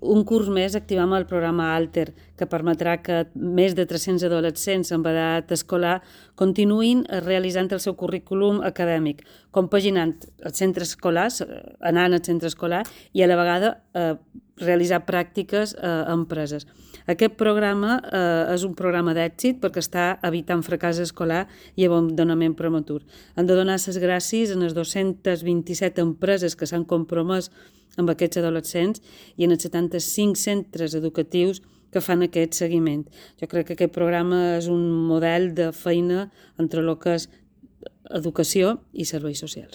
Un curs més activem el programa Alter, que permetrà que més de 300 adolescents amb edat escolar continuïn realitzant el seu currículum acadèmic, compaginant els centres escolars, anant al centre escolar i a la vegada realitzar pràctiques a empreses. Aquest programa és un programa d'èxit perquè està evitant fracàs escolar i abandonament prematur. Hem de donar les gràcies a les 227 empreses que s'han compromès amb aquests adolescents i en els 75 centres educatius que fan aquest seguiment. Jo crec que aquest programa és un model de feina entre el que és educació i serveis socials.